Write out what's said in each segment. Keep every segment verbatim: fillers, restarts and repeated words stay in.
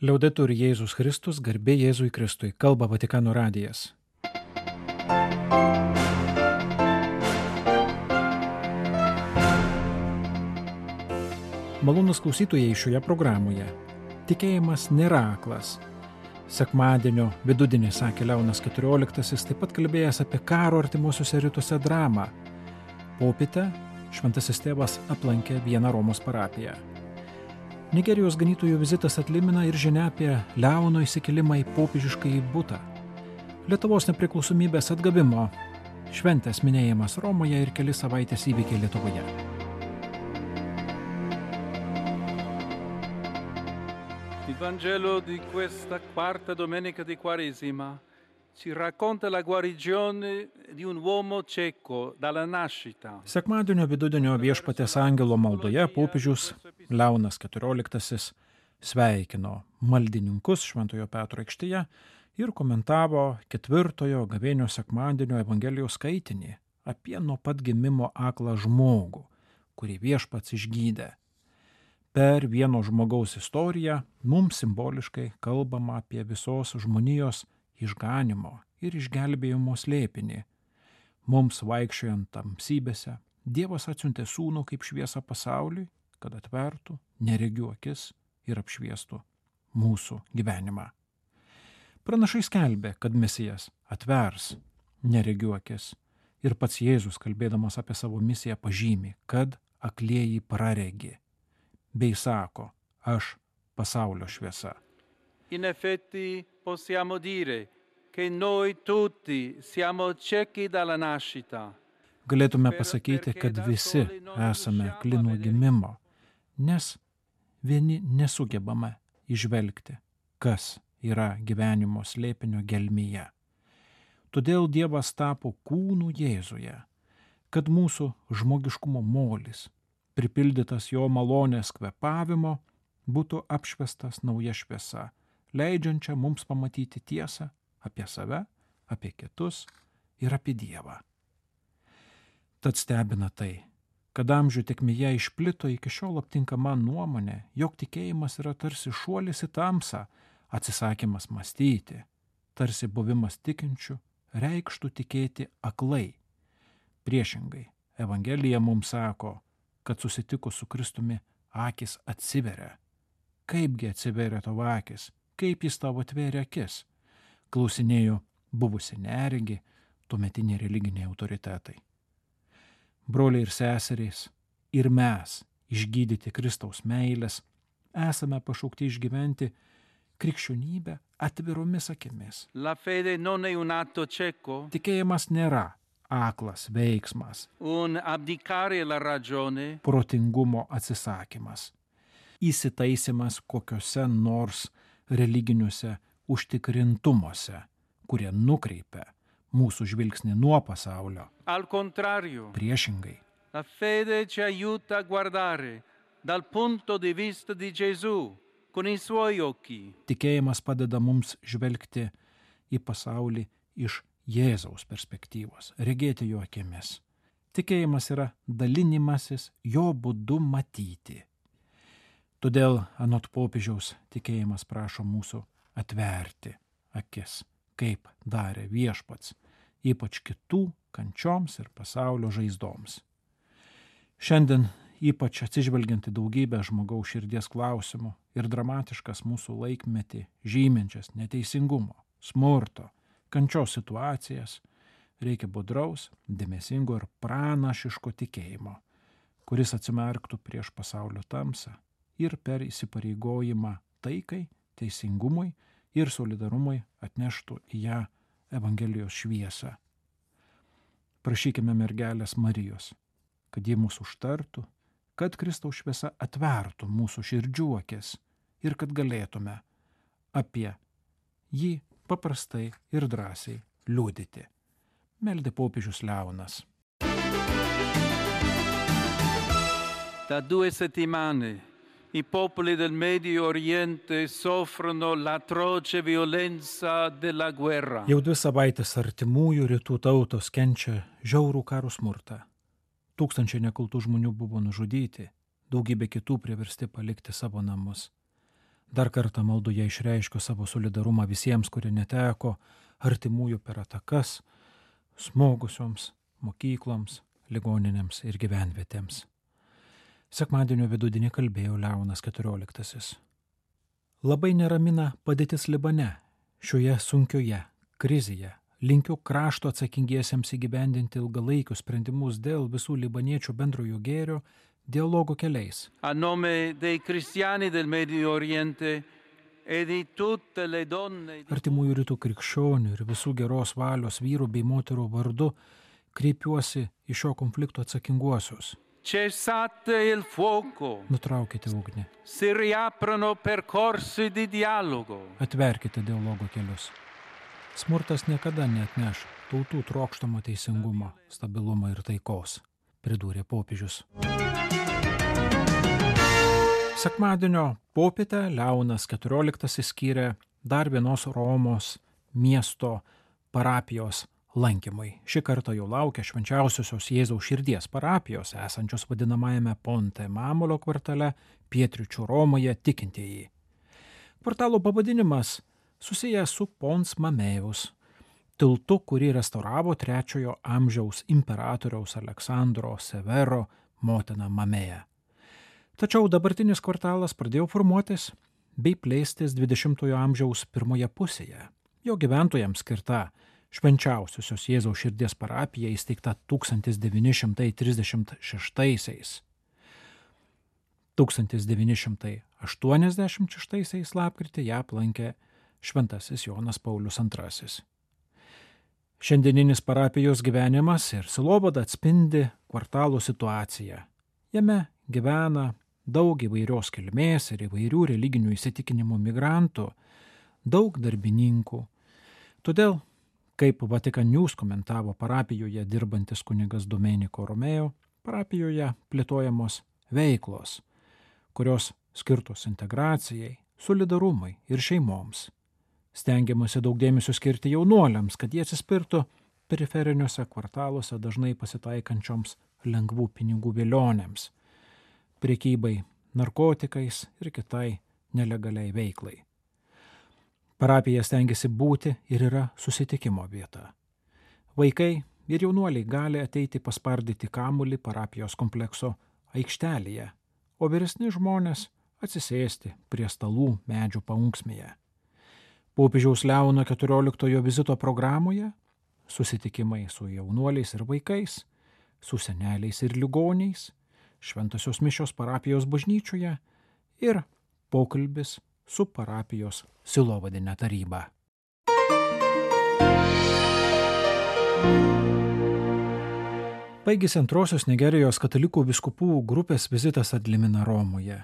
Liaudetur Jėzus Kristus, garbė Jėzui Kristui, kalba Vatikano radijas. Malonūs klausytojai šioje programoje. Tikėjimas nėra aklas. Sekmadienio vidudienį sakė Leonas keturioliktasis, taip pat kalbėjęs apie karo artimuosiuose rytuose dramą. Popietę šventasis tėvas aplankė vieną Romos parapiją. Nigerijos ganytojų vizitas atlimina ir žinia apie Leono įsikėlimą į popiežiškąjį butą. Lietuvos nepriklausomybės atgavimo šventės minėjimas Romoje ir keli savaitės įvykiai Lietuvoje. Il Vangelo di questa quarta domenica di Quaresima ci racconta la guarigione di un uomo cieco dalla nascita. Sekmadienio vidudienio viešpaties angelo maldoje popiežius Leonas keturioliktasis sveikino maldininkus Šventojo Petro aikštėje ir komentavo ketvirtojo gavėnio sekmadienio Evangelijos skaitinį apie nuo pat gimimo aklą žmogų, kurį viešpats išgydė. Per vieno žmogaus istoriją mums simboliškai kalbama apie visos žmonijos išganimo ir išgelbėjimo slėpinį. Mums vaikščiojant tamsybėse, Dievas atsiuntė sūnų kaip šviesą pasauliui, kad atvertų neregių akis ir apšviestų mūsų gyvenimą. Pranašai skelbė, kad Mesijas atvers neregių akis ir pats Jėzus, kalbėdamas apie savo misiją, pažymi, kad aklieji praregi, bei sako, aš pasaulio šviesa. In effetti possiamo dire che noi tutti siamo ciechi dalla nascita. Galėtume pasakyti, kad visi esame akli nuo gimimo, nes vieni nesugebame įžvelgti, kas yra gyvenimo slėpinio gelmėje. Todėl Dievas tapo kūnu Jėzuje, kad mūsų žmogiškumo molis, pripildytas jo malonės kvėpavimo, būtų apšviestas nauja šviesa, leidžiančią mums pamatyti tiesą apie save, apie kitus ir apie Dievą. Tad stebina tai, kad amžių tėkmėje išplito iki šiol aptinkama nuomonė, jog tikėjimas yra tarsi šuolis į tamsą, atsisakymas mąstyti, tarsi buvimas tikinčiu reikštų tikėti aklai. Priešingai, Evangelija mums sako, kad susitikus su Kristumi akis atsiveria. Kaipgi atsiveria tavo akis? Kaip jis tavo atvėrė akis? Klausinėjo buvusi neregi, tuometiniai religiniai autoritetai. Broliai ir seserys, ir mes, išgydyti Kristaus meilės, esame pašaukti išgyventi krikščionybę atviromis akimis. La fede non è un atto cieco, Tikėjimas nėra aklas veiksmas, un abdicare la ragione, protingumo atsisakymas, įsitaisimas kokiuose nors religiniuose užtikrintumuose, kurie nukreipia mūsų žvilgsnį nuo pasaulio. al contrario. Priešingai, La fede ci aiuta a guardare dal punto di vista di Gesù, con i suoi occhi. tikėjimas padeda mums žvelgti į pasaulį iš Jėzaus perspektyvos, regėti jo akimis. Tikėjimas yra dalinimasis jo būdu matyti. Todėl anot popiežiaus tikėjimas prašo mūsų atverti akis, kaip darė viešpats, ypač kitų kančioms ir pasaulio žaizdoms. Šiandien, ypač atsižvelgiant į daugybę žmogaus širdies klausimų ir dramatiškas mūsų laikmetį žyminčias neteisingumo, smurto, kančios situacijas, reikia budraus, dėmesingo ir pranašiško tikėjimo, kuris atsimerktų prieš pasaulio tamsą ir per įsipareigojimą taikai, teisingumui ir solidarumui atneštų į ją Evangelijos šviesą. Prašykime mergelės Marijos, kad ji mūsų užtartų, kad Kristaus šviesa atvertų mūsų širdžių akis ir kad galėtume apie jį paprastai ir drąsiai liudyti. Meldė popiežius Leonas. Da due settimane i popoli del Medio Oriente soffrono l'atroce violenza della guerra. Jau dvi savaitės artimųjų rytų tautos kenčia žiaurų karo smurtą. Tūkstančiai nekaltų žmonių buvo nužudyti, daugybė kitų priversti palikti savo namus. Dar kartą maldoje išreiškiu savo solidarumą visiems, kurie neteko artimųjų per atakas, smogusioms mokykloms, ligoninėms ir gyvenvietėms. Sekmadienio vidudienį kalbėjo Leonas keturioliktasis. Labai neramina padėtis Libane. Šioje sunkioje krizėje linkiu krašto atsakingiesiems įgyvendinti ilgalaikius sprendimus dėl visų libaniečių bendrojo gėrio dialogo keliais. A nome dei cristiani del Medio Oriente e di tutte le donne. Artimųjų rytų krikščionių ir visų geros valios vyrų bei moterų vardu kreipiuosi į šio konflikto atsakinguosius. Cessate il fuoco. Nutraukite ugnį. Si riaprono percorsi di dialogo. Atverkite dialogo kelius. Smurtas niekada neatneš tautų trokštamo teisingumo, stabilumo ir taikos, pridūrė popiežius. Sekmadienio popietę Leonas keturioliktasis skyrė dar vienos Romos miesto parapijos lankymui. Šį kartą jau laukia Švenčiausiosios Jėzaus širdies parapijos, esančios vadinamajame Ponte Mamolo kvartale, pietryčių Romoje tikintieji. Kvartalo pavadinimas susijęs su Pons Mameus, tiltu, kurį restauravo trečiojo amžiaus imperatoriaus Aleksandro Severo motina Mamėja. Tačiau dabartinis kvartalas pradėjo formuotis bei plėstis dvidešimtojo amžiaus pirmoje pusėje. Jo gyventojams skirta Švenčiausiosios Jėzaus širdies parapija įsteigta tūkstantis devyni šimtai trisdešimt šeštaisiais. tūkstantis devyni šimtai aštuoniasdešimt šeštaisiais lapkritį ją aplankė Šventasis Jonas Paulius antrasis. Šiandieninis parapijos gyvenimas ir sielovada atspindi kvartalo situaciją. Jame gyvena daug įvairios kilmės ir įvairių religinių įsitikinimų migrantų, daug darbininkų. Todėl, kaip Vatikan News komentavo parapijoje dirbantis kunigas Domenico Romeo, parapijoje plėtojamos veiklos, kurios skirtos integracijai, solidarumui ir šeimoms. Stengiamasi daug dėmesio skirti jaunuoliams, kad jie atsispirtų periferiniuose kvartaluose dažnai pasitaikančioms lengvų pinigų vilionėms, prekybai narkotikais ir kitai nelegaliai veiklai. Parapija stengiasi būti ir yra susitikimo vieta. Vaikai ir jaunuoliai gali ateiti paspardyti kamuolį parapijos komplekso aikštelėje, o vyresni žmonės atsisėsti prie stalų medžių paunksmėje. Popiežiaus Leono keturioliktojo vizito programoje susitikimai su jaunuoliais ir vaikais, su seneliais ir ligoniais, šventosios mišios parapijos bažnyčioje ir pokalbis su parapijos sielovadine taryba. Baigėsi antrosios Nigerijos katalikų vyskupų grupės vizitas ad limina Romoje.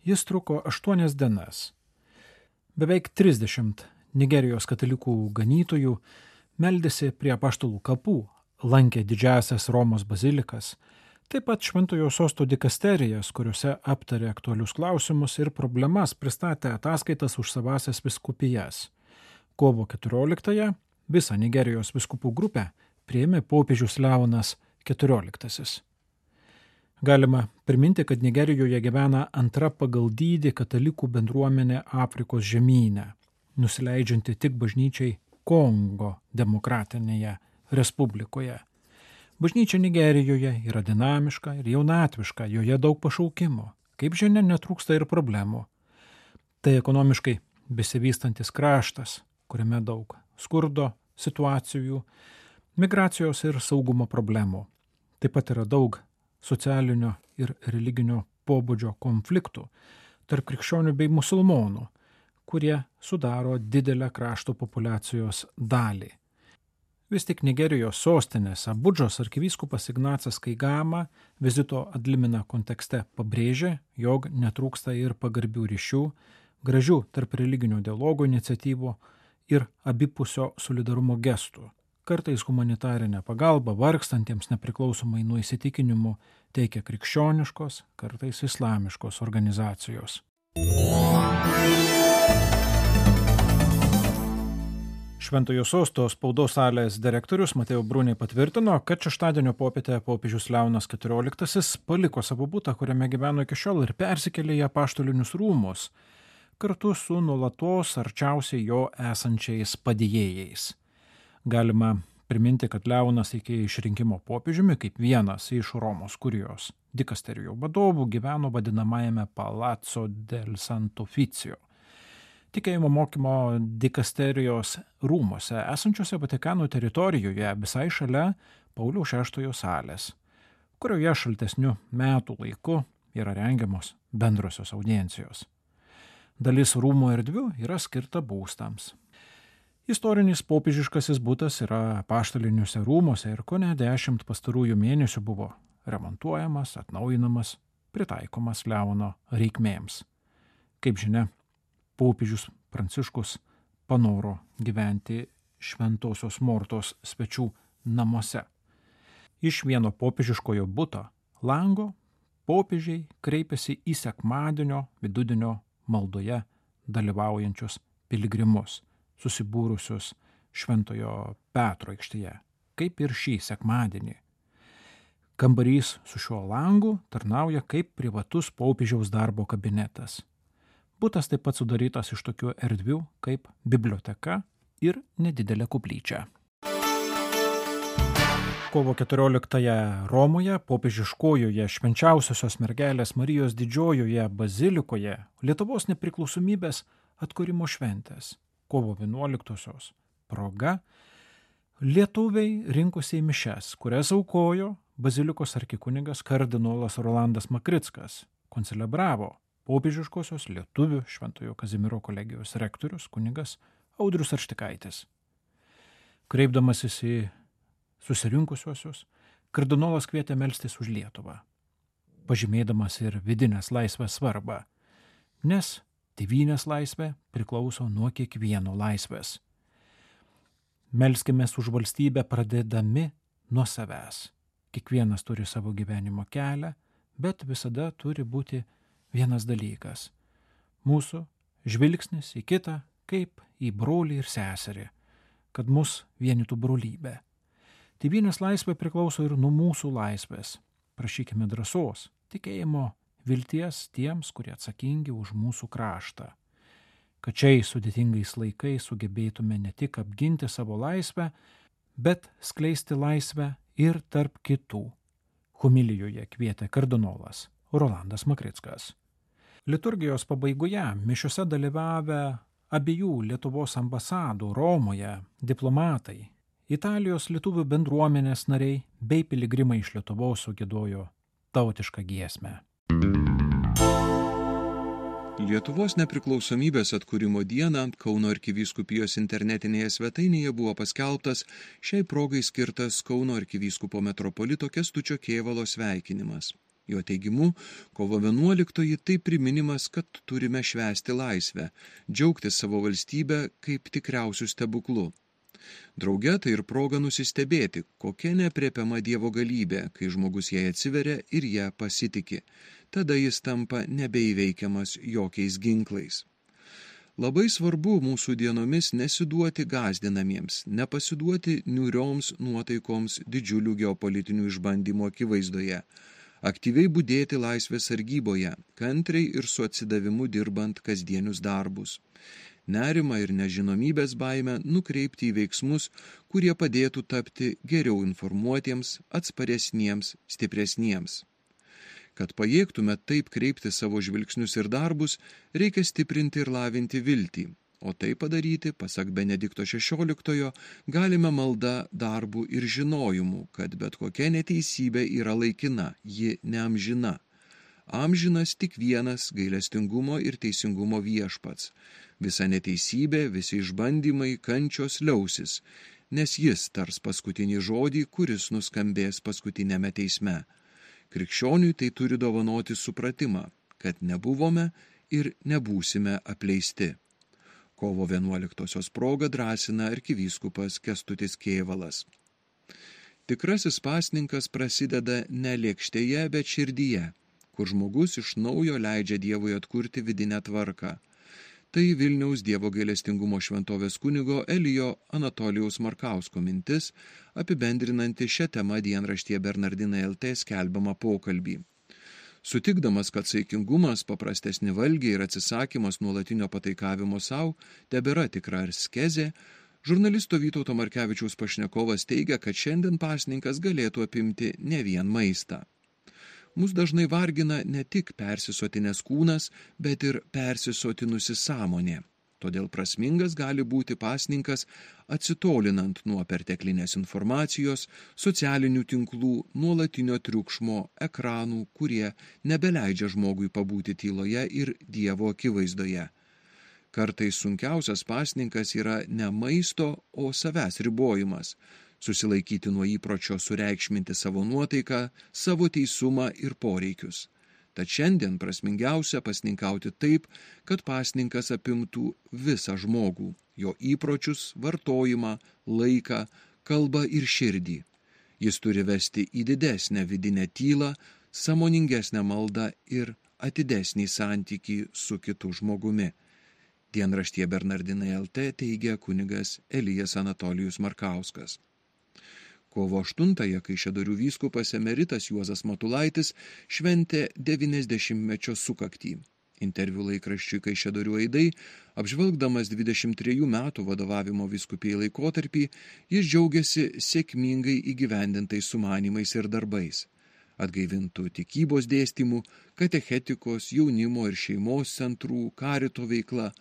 Jis truko aštuonias dienas. Beveik trisdešimt Nigerijos katalikų ganytojų meldėsi prie apaštalų kapų, lankė didžiąsias Romos bazilikas, taip pat Šventojo sosto dikasterijas, kuriuose aptarė aktualius klausimus ir problemas, pristatė ataskaitas už savasias vyskupijas. Kovo keturioliktąją visą Nigerijos vyskupų grupę priėmė popiežius Leonas keturioliktasis. Galima priminti, kad Nigerijoje gyvena antra pagal dydį katalikų bendruomenė Afrikos žemyne, nusileidžianti tik bažnyčiai Kongo demokratinėje respublikoje. Bažnyčia Nigerijoje yra dinamiška ir jaunatviška, joje daug pašaukimo. Kaip žinia, netrūksta ir problemų. Tai ekonomiškai besivystantis kraštas, kuriame daug skurdo situacijų, migracijos ir saugumo problemų. Taip pat yra daug socialinio ir religinio pobūdžio konfliktų tarp krikščionių bei musulmonų, kurie sudaro didelę krašto populiacijos dalį. Vis tik Nigerijos sostinės Abudžos arkivyskupas Ignacas Kaigama vizito ad limina kontekste pabrėžė, jog netrūksta ir pagarbių ryšių, gražių tarp religinio dialogo iniciatyvų ir abipusio solidarumo gestų. Kartais humanitarinę pagalbą vargstantiems nepriklausomai nuo įsitikinimų teikia krikščioniškos, kartais islamiškos organizacijos. Šventojo sosto spaudos salės direktorius Mateo Bruni patvirtino, kad šeštadienio popietę popiežius Leonas keturioliktasis paliko savo butą, kuriame gyveno iki šiol ir persikėlė į apaštalinius rūmus. kartu su nuolatos arčiausiai jo esančiais padėjėjais. Galima priminti, kad Leonas iki išrinkimo popiežiumi kaip vienas iš Romos kurijos dikasterijų vadovų gyveno vadinamajame Palazzo del Sant'Uffizio, tikėjimo mokymo dikasterijos rūmose, esančiose Vatikano teritorijoje visai šalia Pauliaus šeštojo salės, kurioje šaltesniu metų laiku yra rengiamos bendrosios audiencijos. Dalis rūmų erdvių yra skirta būstams. Istorinis popiežiškasis butas yra apaštaliniuose rūmuose ir kone dešimt pastarųjų mėnesių buvo remontuojamas, atnaujinamas, pritaikomas Leono reikmėms. Kaip žinia, popiežius Pranciškus panoro gyventi Šventosios Mortos svečių namuose. Iš vieno popiežiškojo buto lango popiežiai kreipėsi į sekmadienio vidudienio maldoje dalyvaujančius piligrimus, susibūrusius Šventojo Petro aikštėje, kaip ir šį sekmadienį. Kambarys su šiuo langu tarnauja kaip privatus popiežiaus darbo kabinetas. Butas taip pat sudarytas iš tokių erdvių kaip biblioteka ir nedidelė koplyčia. Kovo keturioliktąją Romoje, popiežiškojoje Švenčiausiosios mergelės Marijos didžiojoje bazilikoje Lietuvos nepriklausomybės atkūrimo šventės, kovo vienuoliktosios proga, lietuviai rinkosi į mišias, kurias aukojo bazilikos arkikunigas kardinolas Rolandas Makrickas, koncelebravo popiežiškosios lietuvių Šventojo Kazimiero kolegijos rektorius kunigas Audrius Arštikaitis. Kreipdamasis į susirinkusiuosius, kardinolas kvietė melstis už Lietuvą, pažymėdamas ir vidinės laisvės svarbą, nes tėvynės laisvė priklauso nuo kiekvieno laisvės. Melskimės už valstybę pradėdami nuo savęs. Kiekvienas turi savo gyvenimo kelią, bet visada turi būti vienas dalykas – mūsų žvilgsnis į kitą kaip į brolį ir seserį, kad mus vienytų brolybė. Tėvynės laisvė priklauso ir nuo mūsų laisvės. Prašykime drąsos, tikėjimo, vilties tiems, kurie atsakingi už mūsų kraštą. Kad šiais sudėtingais laikais sugebėtume ne tik apginti savo laisvę, bet skleisti laisvę ir tarp kitų. Homilijoje kvietė kardinolas Rolandas Makrickas. Liturgijos pabaigoje mišiose dalyvavę abiejų Lietuvos ambasadų Romoje diplomatai, Italijos lietuvių bendruomenės nariai bei piligrimai iš Lietuvos sugiedojo tautišką giesmę. Lietuvos nepriklausomybės atkūrimo dieną Kauno arkivyskupijos internetinėje svetainėje buvo paskelbtas šiai progai skirtas Kauno arkivyskupo metropolito Kęstučio Kėvalo sveikinimas. Jo teigimu, kovo vienuoliktoji tai priminimas, kad turime švęsti laisvę, džiaugtis savo valstybę kaip tikriausių stebuklų. Drauge tai ir proga nusistebėti, kokia neaprėpiama Dievo galybė, kai žmogus jai atsiveria ir ją pasitiki. Tada jis tampa nebeįveikiamas jokiais ginklais. Labai svarbu mūsų dienomis nesiduoti gąsdinamiems, nepasiduoti niūrioms nuotaikoms didžiulių geopolitinių išbandymų akivaizdoje, aktyviai budėti laisvės sargyboje, kantriai ir su atsidavimu dirbant kasdienius darbus. Nerimą ir nežinomybės baimę nukreipti į veiksmus, kurie padėtų tapti geriau informuotiems, atsparesniems, stipresniems. Kad pajėgtume taip kreipti savo žvilgsnius ir darbus, reikia stiprinti ir lavinti viltį, o tai padaryti, pasak Benedikto šešioliktojo, galime malda, darbu ir žinojimu, kad bet kokia neteisybė yra laikina, ji neamžina. Amžinas tik vienas gailestingumo ir teisingumo viešpats. Visa neteisybė, visi išbandymai, kančios liausis, nes jis tars paskutinį žodį, kuris nuskambės paskutinėme teisme. Krikščioniui tai turi dovanoti supratimą, kad nebuvome ir nebūsime apleisti. Kovo vienuoliktosios proga drąsina arkivyskupas Kęstutis Kėvalas. Tikrasis pasninkas prasideda ne lėkštėje, bet širdyje, kur žmogus iš naujo leidžia Dievui atkurti vidinę tvarką. Tai Vilniaus Dievo gailestingumo šventovės kunigo Elijo Anatolijaus Markausko mintis, apibendrinanti šią temą dienraštyje Bernardinai L T skelbiamą pokalbį. Sutikdamas, kad saikingumas, paprastesni valgiai ir atsisakymas nuolatinio pataikavimo savo tebėra tikra askezė, žurnalisto Vytauto Markevičiaus pašnekovas teigia, kad šiandien pasninkas galėtų apimti ne vien maistą. Mus dažnai vargina ne tik persisotinės kūnas, bet ir persisotinusi sąmonė. Todėl prasmingas gali būti pasninkas atsitolinant nuo perteklinės informacijos, socialinių tinklų, nuolatinio triukšmo, ekranų, kurie nebeleidžia žmogui pabūti tyloje ir Dievo akivaizdoje. Kartais sunkiausias pasninkas yra ne maisto, o savęs ribojimas, susilaikyti nuo įpročio sureikšminti savo nuotaiką, savo teisumą ir poreikius. Tad šiandien prasmingiausia pasninkauti taip, kad pasninkas apimtų visą žmogų, jo įpročius, vartojimą, laiką, kalbą ir širdį. Jis turi vesti į didesnę vidinę tylą, sąmoningesnę maldą ir atidesnį santykį su kitu žmogumi. Dienraštyje Bernardinai L T teigia kunigas Elijas Anatolijus Markauskas. Kovo aštuntąją Kaišiadorių vyskupas emeritas Juozas Matulaitis šventė devyniasdešimtmečio sukaktį. Interviu laikraščiui Kaišiadorių aidai, apžvelgdamas dvidešimt trejų metų vadovavimo vyskupijai laikotarpį, jis džiaugiasi sėkmingai įgyvendintais sumanymais ir darbais. Atgaivintų tikybos dėstymų, katechetikos, jaunimo ir šeimos centrų, karito veikla,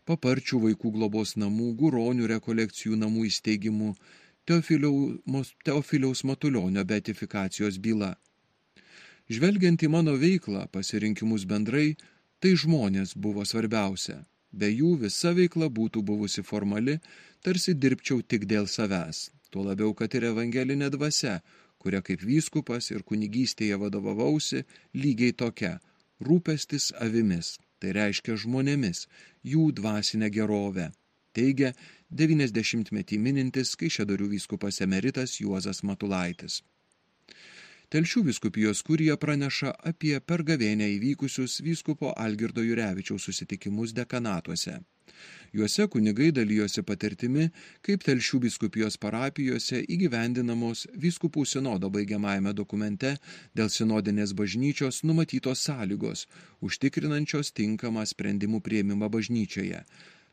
paparčių vaikų globos namų, guronių rekolekcijų namų įsteigimų, Teofiliaus Matulionio beatifikacijos byla. Žvelgiant į mano veiklą, pasirinkimus bendrai, tai žmonės buvo svarbiausia. Be jų visa veikla būtų buvusi formali, tarsi dirbčiau tik dėl savęs. Tuo labiau, kad ir evangelinė dvasia, kuria kaip vyskupas ir kunigystėje vadovavausi, lygiai tokia – rūpestis avimis, tai reiškia žmonėmis, jų dvasinę gerovę. Teigia devyniasdešimtmetį minintis Kaišiadorių vyskupas emeritas Juozas Matulaitis. Telšių vyskupijos kurija praneša apie per gavėnią įvykusius vyskupo Algirdo Jurevičiaus susitikimus dekanatuose. Juose kunigai dalijosi patirtimi, kaip Telšių vyskupijos parapijose įgyvendinamos vyskupų sinodo baigiamajame dokumente dėl sinodinės bažnyčios numatytos sąlygos, užtikrinančios tinkamą sprendimų priėmimą bažnyčioje.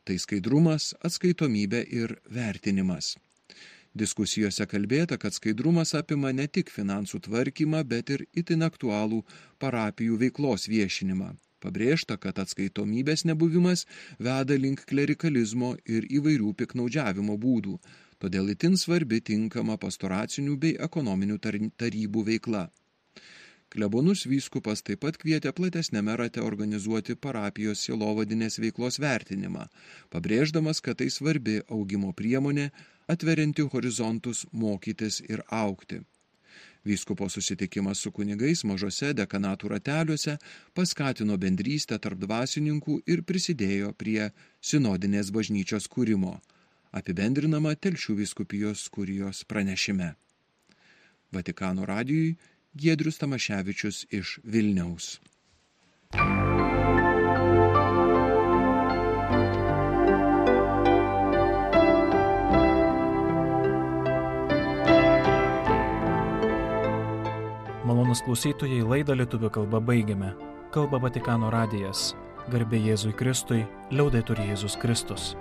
Tai skaidrumas, atskaitomybė ir vertinimas. Diskusijose kalbėta, kad skaidrumas apima ne tik finansų tvarkymą, bet ir itin aktualų parapijų veiklos viešinimą. Pabrėžta, kad atskaitomybės nebuvimas veda link klerikalizmo ir įvairių piknaudžiavimo būdų, todėl itin svarbi tinkama pastoracinių bei ekonominių tarybų veikla. Klebonus vyskupas taip pat kvietė platesniame rate organizuoti parapijos sielovadinės veiklos vertinimą, pabrėždamas, kad tai svarbi augimo priemonė, atverianti horizontus mokytis ir augti. Vyskupo susitikimas su kunigais mažose dekanatų rateliuose paskatino bendrystę tarp dvasininkų ir prisidėjo prie sinodinės bažnyčios kūrimo, apibendrinama Telšių vyskupijos kurijos pranešime. Vatikano radijui Giedrius Tamaševičius iš Vilniaus. Malonūs klausytojai, laidą lietuvių kalba baigiame. Kalba Vatikano radijas. Garbė Jėzui Kristui, liaudetur Jėzus Kristus.